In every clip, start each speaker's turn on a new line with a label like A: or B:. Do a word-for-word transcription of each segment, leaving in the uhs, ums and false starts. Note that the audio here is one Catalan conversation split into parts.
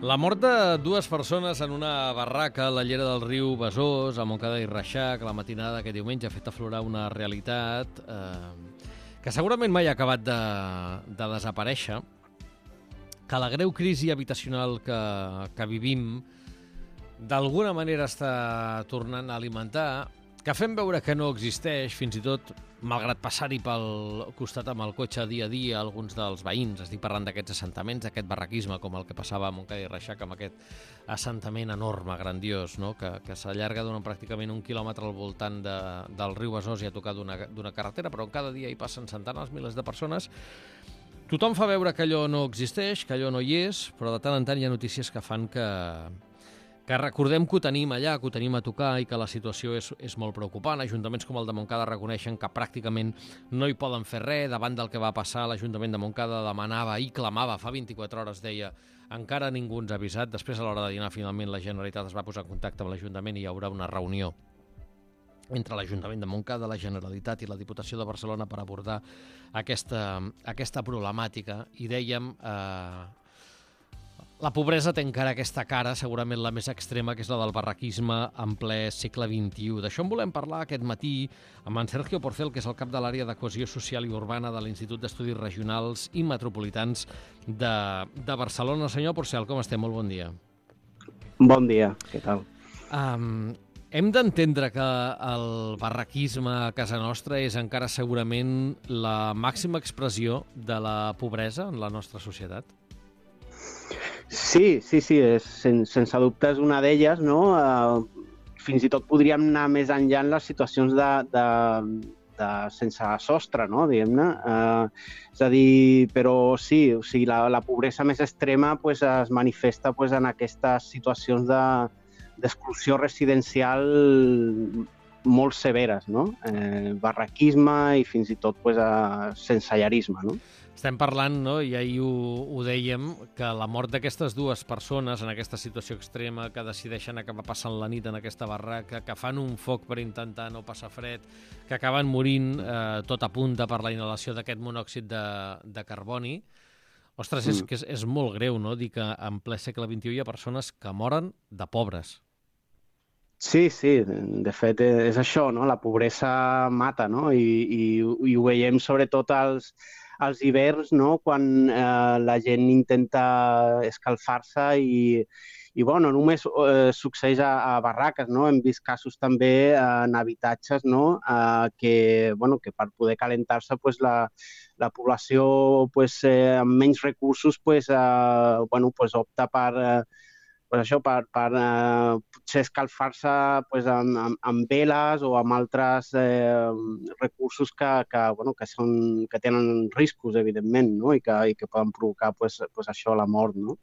A: La mort de dues persones en una barraca a la llera del riu Besòs, a Montcada i Reixac, la matinada d'aquest diumenge ha fet aflorar una realitat eh, que segurament mai ha acabat de, de desaparèixer, que la greu crisi habitacional que, que vivim d'alguna manera està tornant a alimentar, que fem veure que no existeix, fins i tot malgrat passar-hi pel costat amb el cotxe dia a dia alguns dels veïns. Estic parlant d'aquests assentaments, d'aquest barraquisme com el que passava a Montcada i Reixac, amb aquest assentament enorme, grandiós, no? que, que s'allarga durant pràcticament un quilòmetre al voltant de, del riu Besòs i a tocar d'una carretera, però cada dia hi passen centenars, milers de persones. Tothom fa veure que allò no existeix, que allò no hi és, però de tant en tant hi ha notícies que fan que... que recordem que ho tenim allà, que ho tenim a tocar i que la situació és, és molt preocupant. Ajuntaments com el de Montcada reconeixen que pràcticament no hi poden fer res. Davant del que va passar, l'Ajuntament de Montcada demanava i clamava, fa vint-i-quatre hores deia, encara ningú ens ha avisat. Després, a l'hora de dinar, finalment la Generalitat es va posar en contacte amb l'Ajuntament i hi haurà una reunió entre l'Ajuntament de Montcada, la Generalitat i la Diputació de Barcelona per abordar aquesta, aquesta problemàtica. I dèiem... Eh, La pobresa té encara aquesta cara, segurament la més extrema, que és la del barraquisme en ple segle vint-i-u. D'això en volem parlar aquest matí amb en Sergio Porcel, que és el cap de l'àrea de cohesió social i urbana de l'Institut d'Estudis Regionals i Metropolitans de, de Barcelona. Senyor Porcel, com estem? Molt bon dia.
B: Bon dia, què tal?
A: Um, hem d'entendre que el barraquisme a casa nostra és encara segurament la màxima expressió de la pobresa en la nostra societat?
B: Sí, sí, sí, és, sen, sense dubte és una d'elles, no? Uh, fins i tot podríem anar més enllà en les situacions de, de, de sense sostre, no? Diguem-ne. Uh, és a dir, però sí, o sigui, la, la pobresa més extrema pues, es manifesta pues, en aquestes situacions de, d'exclusió residencial molt severes, no? Eh, barraquisme i fins i tot pues, uh, sensellarisme, no?
A: Estem parlant, no? I ahir ho, ho dèiem, que la mort d'aquestes dues persones en aquesta situació extrema, que decideixen acabar passant la nit en aquesta barraca, que fan un foc per intentar no passar fred, que acaben morint eh, tot a punta per la inhalació d'aquest monòxid de, de carboni. Ostres, és, mm. que és, és molt greu, no?, dir que en ple segle vint-i-u hi ha persones que moren de pobres.
B: Sí, sí, de fet és això, no? La pobresa mata, no? I, i, i ho veiem sobretot als, als hiverns, no? Quan eh, la gent intenta escalfar-se i, i bueno, només eh, succeeix a, a barraques, no? Hem vist casos també eh, en habitatges, no? Eh, que, bueno, que per poder calentar-se pues, la, la població pues, eh, amb menys recursos pues, eh, bueno, pues, opta per... Eh, pues això, per, per eh, potser escalfar-se pues, amb, amb, amb veles o amb altres eh, recursos que, que, bueno, que, són, que tenen riscos, evidentment, no? I, que, i que poden provocar pues, pues això, la mort. No?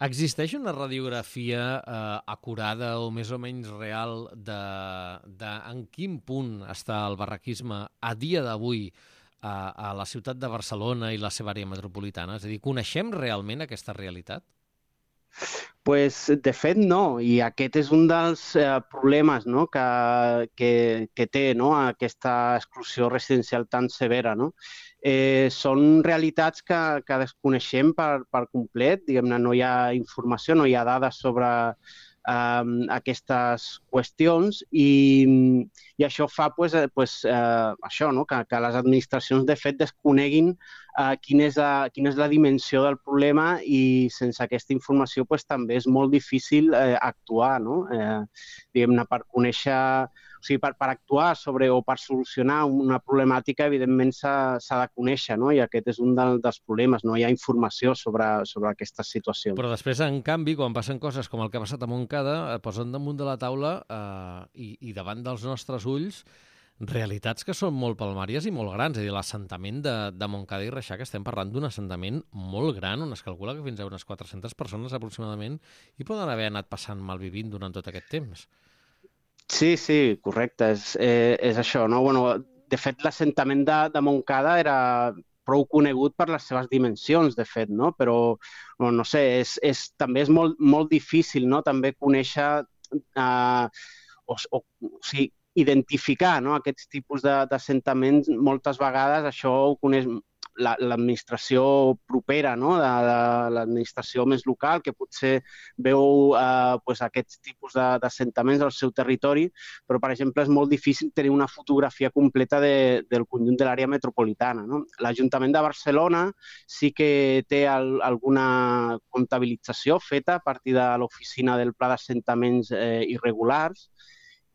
A: Existeix una radiografia eh, acurada o més o menys real de, de en quin punt està el barraquisme a dia d'avui a, a la ciutat de Barcelona i la seva àrea metropolitana? És a dir, coneixem realment aquesta realitat?
B: Pues, de fet, no, i aquest és un dels eh, problemes, no? que, que, que té, no? Aquesta exclusió residencial tan severa. No? Eh, són realitats que, que desconeixem per, per complet, diguem-ne, no hi ha informació, no hi ha dades sobre eh, aquestes qüestions i, i això fa pues, pues, eh, això, no? que, que les administracions de fet desconeguin Uh, quina, és la, quina és la dimensió del problema i sense aquesta informació pues, també és molt difícil eh, actuar, no? Eh, diguem-ne, per conèixer, o sigui, per, per actuar sobre o per solucionar una problemàtica, evidentment s'ha de conèixer, no? I aquest és un del, dels problemes, no hi ha informació sobre, sobre aquestes situacions.
A: Però després, en canvi, quan passen coses com el que ha passat a Montcada, posen damunt de la taula eh, i, i davant dels nostres ulls realitats que són molt palmàries i molt grans. És a dir, l'assentament de, de Montcada i Reixac, estem parlant d'un assentament molt gran, on es calcula que fins a unes quatre-centes persones aproximadament hi poden haver anat passant malvivint durant tot aquest temps.
B: Sí, sí, correcte, és, eh, és això, no? Bueno, de fet, l'assentament de, de Montcada era prou conegut per les seves dimensions, de fet, no? Però, no, no sé, és, és, també és molt, molt difícil, no? També conèixer, eh, o, o, o sigui, identificar, no? Aquests tipus d'assentaments, moltes vegades això ho coneix l'administració propera, no? de, de l'administració més local, que potser veu eh, pues, aquests tipus d'assentaments al seu territori, però, per exemple, és molt difícil tenir una fotografia completa de, del conjunt de l'àrea metropolitana. No? L'Ajuntament de Barcelona sí que té el, alguna comptabilització feta a partir de l'oficina del Pla d'Assentaments eh, irregulars,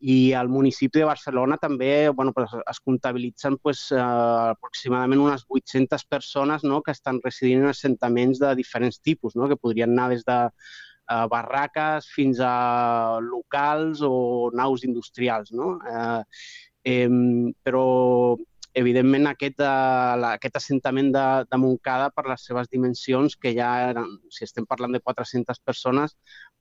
B: i al municipi de Barcelona també bueno, pues, es comptabilitzen pues, eh, aproximadament unes vuit-centes persones, no?, que estan residint en assentaments de diferents tipus, no?, que podrien anar des de eh, barraques fins a locals o naus industrials. No? Eh, eh, però, evidentment, aquest, eh, aquest assentament de, de Montcada, per les seves dimensions, que ja eren, si estem parlant de quatre-centes persones,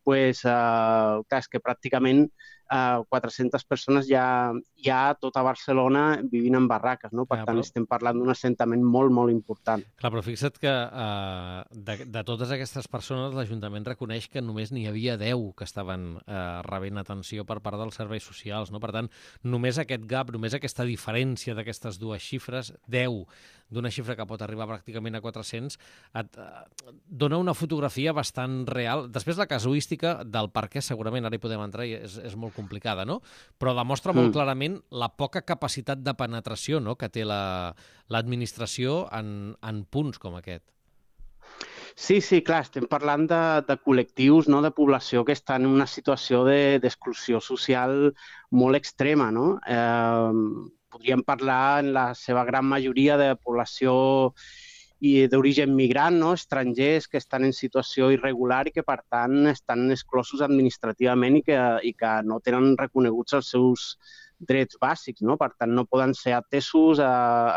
B: pues, eh, clar, és que pràcticament Uh, quatre-centes persones ja, ja a tota Barcelona vivint en barraques, no? Per
A: clar,
B: tant,
A: però...
B: estem parlant d'un assentament molt, molt important.
A: Clar, però fixa't que uh, de, de totes aquestes persones l'Ajuntament reconeix que només n'hi havia deu que estaven uh, rebent atenció per part dels serveis socials, no? Per tant, només aquest gap, només aquesta diferència d'aquestes dues xifres, deu d'una xifra que pot arribar pràcticament a quatre-cents, et uh, dona una fotografia bastant real. Després, la casuística del per què, segurament, ara hi podem entrar, i és, és molt complicada, no? Però demostra molt mm. clarament la poca capacitat de penetració, no?, que té l'administració la, en, en punts com aquest.
B: Sí, sí, clar, estem parlant de, de col·lectius, no?, de població que estan en una situació d'exclusió de, social molt extrema, no? Eh, podríem parlar en la seva gran majoria de població i d'origen migrant, no? Estrangers que estan en situació irregular i que, per tant, estan exclosos administrativament i que, i que no tenen reconeguts els seus drets bàsics, no? Per tant, no poden ser atesos a,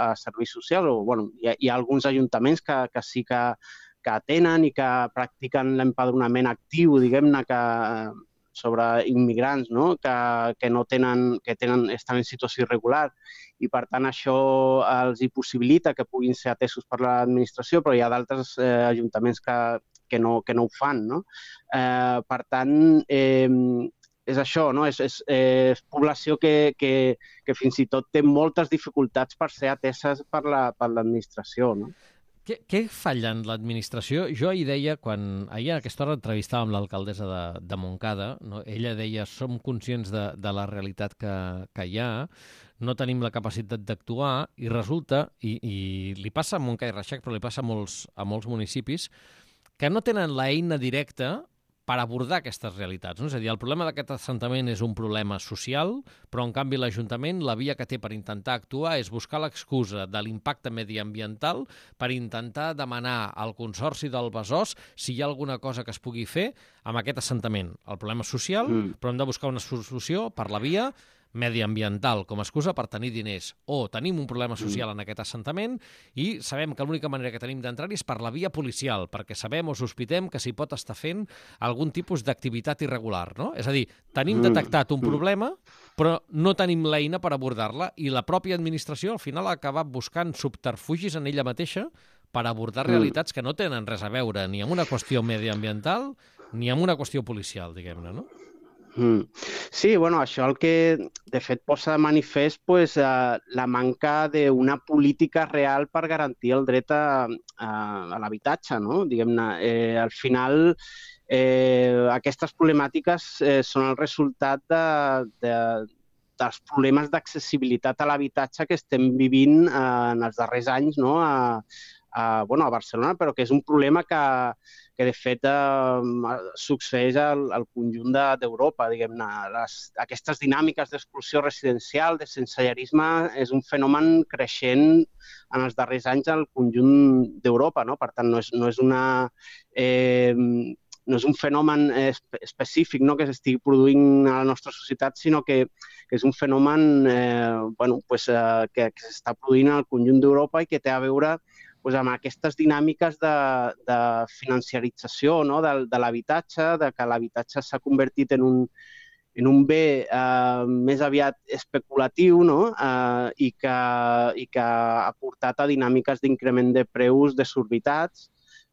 B: a serveis socials. O, bueno, hi, ha, hi ha alguns ajuntaments que, que sí que, que atenen i que practiquen l'empadronament actiu, diguem-ne, que sobre immigrants, no?, que, que, no tenen, que tenen, estan en situació irregular, i per tant això els hi possibilita que puguin ser atesos per l'administració, però hi ha d'altres eh, ajuntaments que, que, no, que no ho fan. No? Eh, per tant, eh, és això, no? és, és, és població que, que, que fins i tot té moltes dificultats per ser ateses per l'administració. La, no?
A: Què, què falla en l'administració? Jo ahir deia, quan ahir a aquesta hora entrevistàvem l'alcaldessa de, de Montcada, no? Ella deia, som conscients de, de la realitat que, que hi ha, no tenim la capacitat d'actuar, i resulta, i, i li passa a Montcada i Reixac, però li passa a molts, a molts municipis, que no tenen l'eina directa per abordar aquestes realitats. No? És a dir, el problema d'aquest assentament és un problema social, però en canvi l'Ajuntament, la via que té per intentar actuar és buscar l'excusa de l'impacte mediambiental per intentar demanar al Consorci del Besòs si hi ha alguna cosa que es pugui fer amb aquest assentament. El problema és social, mm. però hem de buscar una solució per la via mediambiental com a excusa per tenir diners. O tenim un problema social en aquest assentament i sabem que l'única manera que tenim d'entrar-hi és per la via policial, perquè sabem o sospitem que s'hi pot estar fent algun tipus d'activitat irregular. No? És a dir, tenim detectat un problema, però no tenim l'eina per abordar-la, i la pròpia administració al final ha acabat buscant subterfugis en ella mateixa per abordar realitats que no tenen res a veure ni amb una qüestió mediambiental ni amb una qüestió policial, diguem-ne, no?
B: Mm. Sí, bueno, això el que de fet posa de manifest pues, eh, la manca d'una política real per garantir el dret a, a, a l'habitatge, no? Diguem-ne, eh, al final eh, aquestes problemàtiques eh, són el resultat de, de, dels problemes d'accessibilitat a l'habitatge que estem vivint eh, en els darrers anys, no? a, a, bueno, a Barcelona, però que és un problema que que de fet eh, succeeix al, al conjunt d'Europa, de, diguem-ne. Aquestes dinàmiques d'exclusió residencial, de sensellarisme, és un fenomen creixent en els darrers anys al conjunt d'Europa, no? Per tant, no és, no és una... Eh, no és un fenomen específic, no?, que s'estigui produint a la nostra societat, sinó que, que és un fenomen eh, bueno, pues, eh, que, que s'està produint al conjunt d'Europa i que té a veure pues, amb aquestes dinàmiques de, de financiarització, no?, de, de l'habitatge, de que l'habitatge s'ha convertit en un, en un bé eh, més aviat especulatiu, no?, eh, i, que, i que ha portat a dinàmiques d'increment de preus desorbitats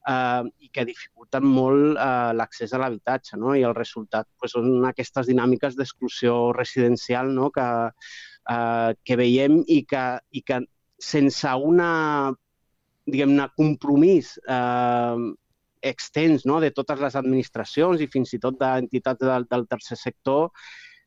B: eh, i que dificulten molt eh, l'accés a l'habitatge, no?, i el resultat pues, són aquestes dinàmiques d'exclusió residencial, no?, que, eh, que veiem i que, i que sense una diguem-ne, compromís eh, extens, no?, de totes les administracions i fins i tot d'entitats del, del tercer sector,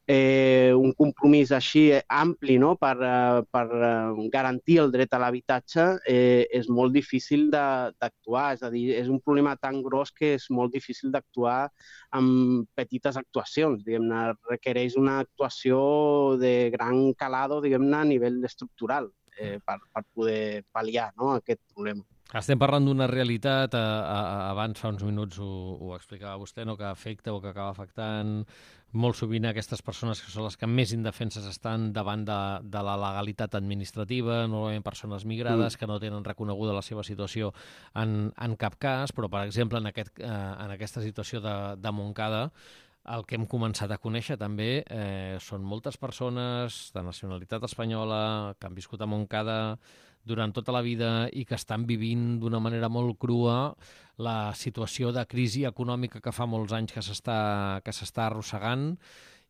B: eh, un compromís així ampli, no?, per, eh, per eh, garantir el dret a l'habitatge, eh, és molt difícil d'actuar. És a dir, és un problema tan gros que és molt difícil d'actuar amb petites actuacions. Diguem-ne, requereix una actuació de gran calado, diguem-ne, a nivell estructural eh, per, per poder pal·liar, no?, aquest problema.
A: Estem parlant d'una realitat, a, a, abans fa uns minuts ho, ho explicava vostè, no?, que afecta o que acaba afectant molt sovint aquestes persones que són les que més indefenses estan davant de, de la legalitat administrativa, normalment persones migrades mm. que no tenen reconeguda la seva situació en, en cap cas, però, per exemple, en, aquest, eh, en aquesta situació de, de Montcada, el que hem començat a conèixer també eh, són moltes persones de nacionalitat espanyola que han viscut a Montcada durant tota la vida i que estan vivint d'una manera molt crua la situació de crisi econòmica que fa molts anys que s'està que s'està arrossegant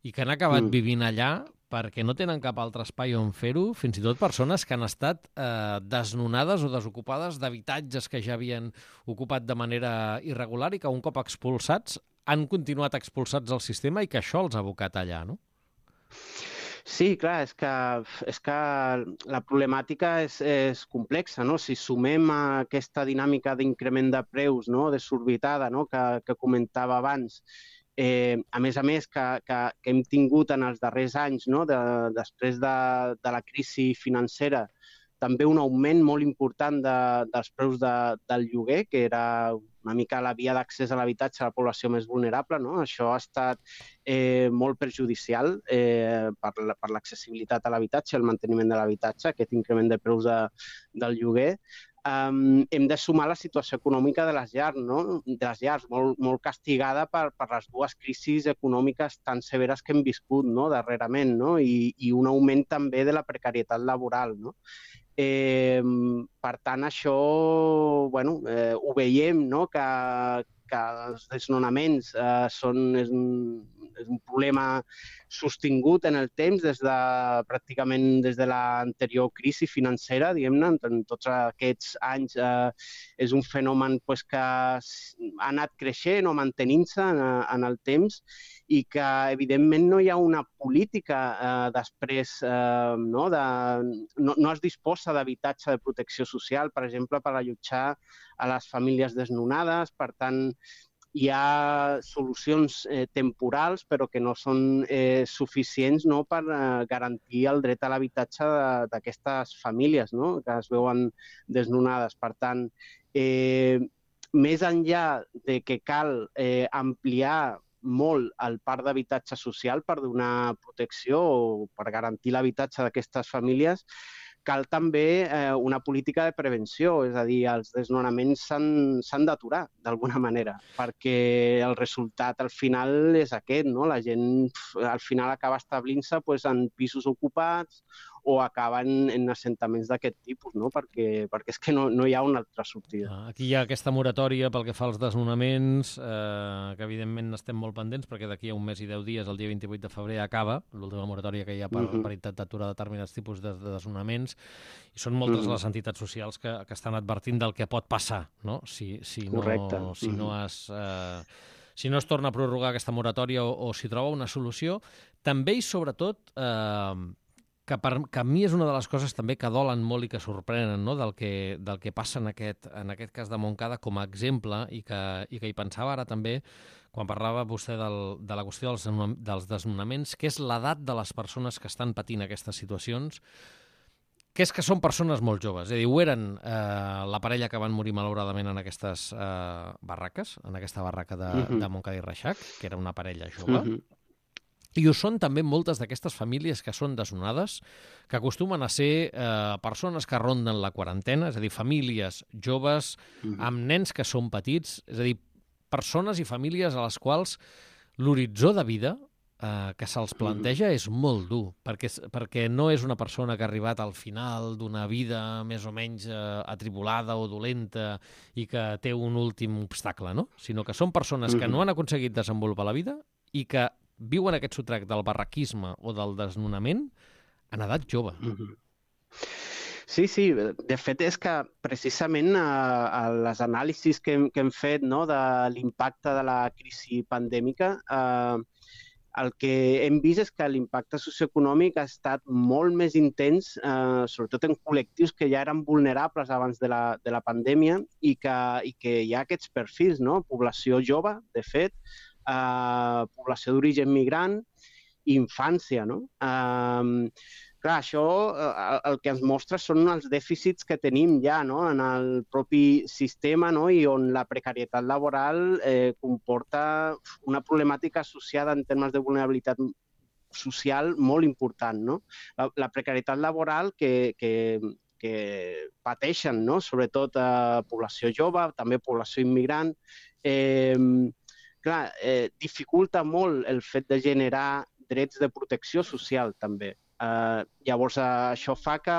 A: i que han acabat mm. vivint allà perquè no tenen cap altre espai on fer-ho, fins i tot persones que han estat eh, desnonades o desocupades d'habitatges que ja havien ocupat de manera irregular i que un cop expulsats han continuat expulsats del sistema i que això els ha abocat allà, no?
B: Sí, clar, és que, és que la problemàtica és, és complexa, no? Si sumem a aquesta dinàmica d'increment de preus, no?, desorbitada, no?, que, que comentava abans, eh, a més a més que, que, que hem tingut en els darrers anys, no?, de, després de, de la crisi financera, també un augment molt important de, dels preus de, del lloguer, que era una mica la via d'accés a l'habitatge a la població més vulnerable, no? Això ha estat eh, molt perjudicial eh, per, per l'accessibilitat a l'habitatge, el manteniment de l'habitatge, aquest increment de preus de, del lloguer. Um, hem de sumar la situació econòmica de les llars, no? de les llars molt, molt castigada per, per les dues crisis econòmiques tan severes que hem viscut, no?, darrerament, no? I, i un augment també de la precarietat laboral, no? Eh, per tant, això bueno, eh, ho veiem, no?, que, que els desnonaments eh, són, és, un, és un problema sostingut en el temps des de pràcticament des de l'anterior crisi financera, diguem-ne, en tots aquests anys eh, és un fenomen pues, que ha anat creixent o mantenint-se en, en el temps i que, evidentment, no hi ha una política eh, després, eh, no, de, no, no es disposa d'habitatge de protecció social, per exemple, per allotjar a les famílies desnonades. Per tant, hi ha solucions eh, temporals, però que no són eh, suficients, no?, per eh, garantir el dret a l'habitatge d'aquestes famílies, no?, que es veuen desnonades. Per tant, eh, més enllà de que cal eh, ampliar molt el parc d'habitatge social per donar protecció o per garantir l'habitatge d'aquestes famílies, cal també eh, una política de prevenció, és a dir, els desnonaments s'han d'aturar d'alguna manera, perquè el resultat al final és aquest, no? La gent al final acaba establint-se pues, en pisos ocupats o acaben en assentaments d'aquest tipus, no? perquè, perquè és que no, no hi ha una altra sortida.
A: Aquí hi ha aquesta moratòria pel que fa als desnonaments, eh, que evidentment estem molt pendents, perquè d'aquí a un mes i deu dies, el dia vint-i-vuit de febrer, acaba l'última moratòria que hi ha per, uh-huh. per intentar aturar determinats tipus de, de desnonaments, i són moltes uh-huh. les entitats socials que, que estan advertint del que pot passar, no? Si, si, no, si, uh-huh. no es, eh, si no es torna a prorrogar aquesta moratòria o, o si troba una solució. També i sobretot... Eh, que, per, que a mi és una de les coses també que dolen molt i que sorprenen, no?, del, que, del que passa en aquest, en aquest cas de Montcada com a exemple i que, i que hi pensava ara també quan parlava vostè del, de la qüestió dels, dels desnonaments, que és l'edat de les persones que estan patint aquestes situacions, que és que són persones molt joves. És a dir, ho eren eh, la parella que van morir malauradament en aquestes eh, barraques, en aquesta barraca de, uh-huh. de Montcada i Reixac, que era una parella jove, uh-huh. I ho són també moltes d'aquestes famílies que són desnonades, que acostumen a ser eh, persones que ronden la quarantena, és a dir, famílies joves amb nens que són petits, és a dir, persones i famílies a les quals l'horitzó de vida eh, que se'ls planteja és molt dur, perquè, perquè no és una persona que ha arribat al final d'una vida més o menys eh, atribulada o dolenta i que té un últim obstacle, no? Sinó que són persones que no han aconseguit desenvolupar la vida i que viuen aquest sotrac del barraquisme o del desnonament en edat jove.
B: Sí, sí, de fet és que precisament a, a les anàlisis que hem, que hem fet, no, de l'impacte de la crisi pandèmica, eh, el que hem vist és que l'impacte socioeconòmic ha estat molt més intens, eh, sobretot en col·lectius que ja eren vulnerables abans de la, de la pandèmia i que, i que hi ha aquests perfils, no? Població jove, de fet, eh, població d'origen migrant i infància, no? Eh, Clar, això eh, el que ens mostra són els dèficits que tenim ja, no?, en el propi sistema, no?, i on la precarietat laboral eh, comporta una problemàtica associada en termes de vulnerabilitat social molt important, no? La, la precarietat laboral que, que, que pateixen, no?, sobretot a població jove, també població immigrant. Eh, clar, eh, dificulta molt el fet de generar drets de protecció social, també. Uh, llavors, uh, això fa que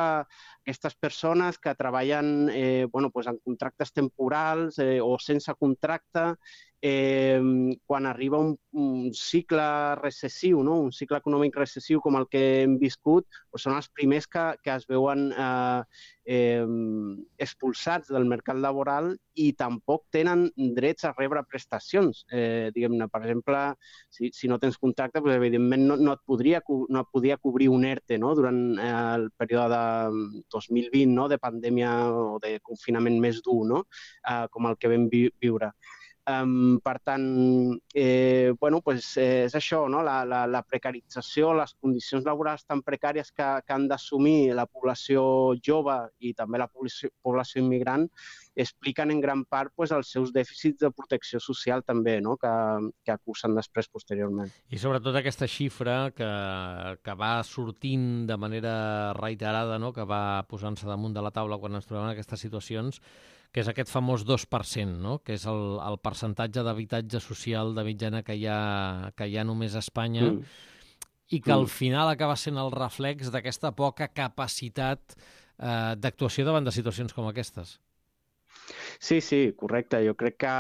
B: aquestes persones que treballen eh, bueno, pues en contractes temporals eh, o sense contracte, eh, quan arriba un, un cicle recessiu, no? Un cicle econòmic recessiu com el que hem viscut, pues són els primers que, que es veuen eh, eh, expulsats del mercat laboral i tampoc tenen drets a rebre prestacions. Eh, diguem-ne, per exemple, si, si no tens contracte, pues, evidentment no, no, et podria, no et podia cobrir un ERTE, no?, durant eh, el període de dos mil vint, no?, de pandèmia o de confinament més dur, no?, eh, com el que vam vi viure. Um, per tant, eh, bueno, pues, eh, és això, no? la, la, la precarització, les condicions laborals tan precàries que, que han d'assumir la població jove i també la població, població immigrant expliquen en gran part pues, els seus dèficits de protecció social també, no?, que, que acusen després posteriorment.
A: I sobretot aquesta xifra que, que va sortint de manera reiterada, no?, que va posant-se damunt de la taula quan ens trobem en aquestes situacions, que és aquest famós dos per cent, no?, que és el, el percentatge d'habitatge social de mitjana que hi ha, que hi ha només a Espanya, mm. i que mm. al final acaba sent el reflex d'aquesta poca capacitat eh, d'actuació davant de situacions com aquestes.
B: Sí, sí, correcte. Jo crec que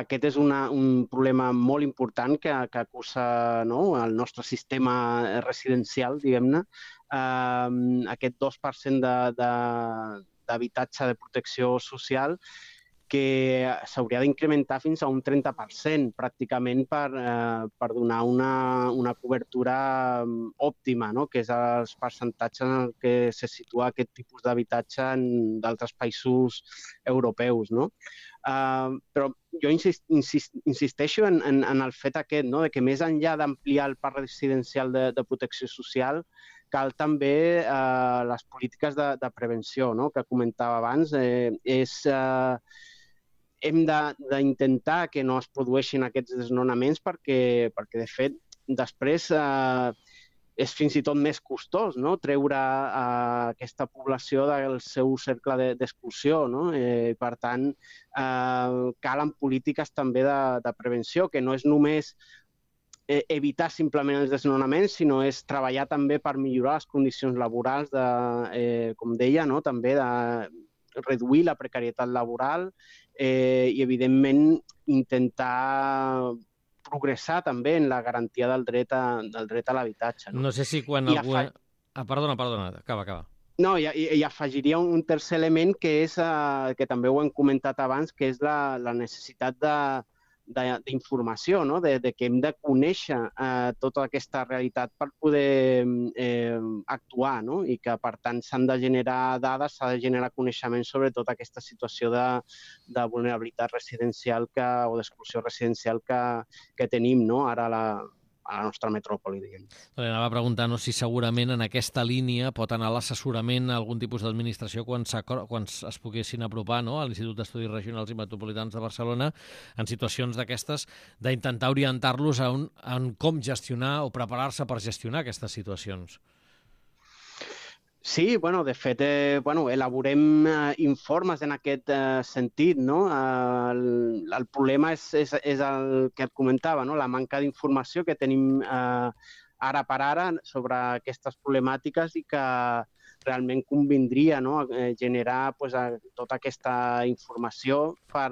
B: aquest és una, un problema molt important que, que acusa, no?, el nostre sistema residencial, diguem-ne. Uh, aquest dos per cent de, de, d'habitatge de protecció social que s'hauria d'incrementar fins a un trenta per cent pràcticament per, eh, per donar una, una cobertura òptima, no?, que és els percentatges en què se situa aquest tipus d'habitatge en d'altres països europeus, no? Uh, però jo insist, insist, insisteixo en, en, en el fet aquest, no?, de que més enllà d'ampliar el parc residencial de, de protecció social, cal també eh, les polítiques de, de prevenció, no?, que comentava abans. Eh, és, eh, hem d'intentar que no es produeixin aquests desnonaments perquè, perquè de fet, després eh, és fins i tot més costós, no?, treure eh, aquesta població del seu cercle d'exclusió, no? Eh, per tant, eh, calen polítiques també de, de prevenció, que no és només evitar simplement els desnonaments, sinó és treballar també per millorar les condicions laborals, de, eh, com deia, no?, també de reduir la precarietat laboral eh, i, evidentment, intentar progressar també en la garantia del dret a, del dret a l'habitatge. No?
A: no sé si quan... Algú... Afa... Ah, perdona, perdona, acaba, acaba.
B: No, i, i afegiria un tercer element que és, eh, que també ho hem comentat abans, que és la, la necessitat de d'informació, no?, de, de que hem de conèixer eh, tota aquesta realitat per poder eh, actuar, no?, i que, per tant, s'han de generar dades, s'ha de generar coneixement sobre tota aquesta situació de, de vulnerabilitat residencial que, o d'exclusió residencial que, que tenim, no?, ara a la, a la nostra metròpoli, diguem.
A: Anava a preguntar no, si segurament en aquesta línia pot anar l'assessorament a algun tipus d'administració quan, quan es poguessin apropar, no?, a l'Institut d'Estudis Regionals i Metropolitans de Barcelona en situacions d'aquestes, d'intentar orientar-los a, un, a un com gestionar o preparar-se per gestionar aquestes situacions.
B: Sí, bueno, de fet, eh, bueno, elaborem eh, informes en aquest eh, sentit, no? Eh, el, el problema és, és, és el que et comentava, no?, la manca d'informació que tenim eh, ara per ara sobre aquestes problemàtiques i que realment convindria, no?, generar pues, tota aquesta informació per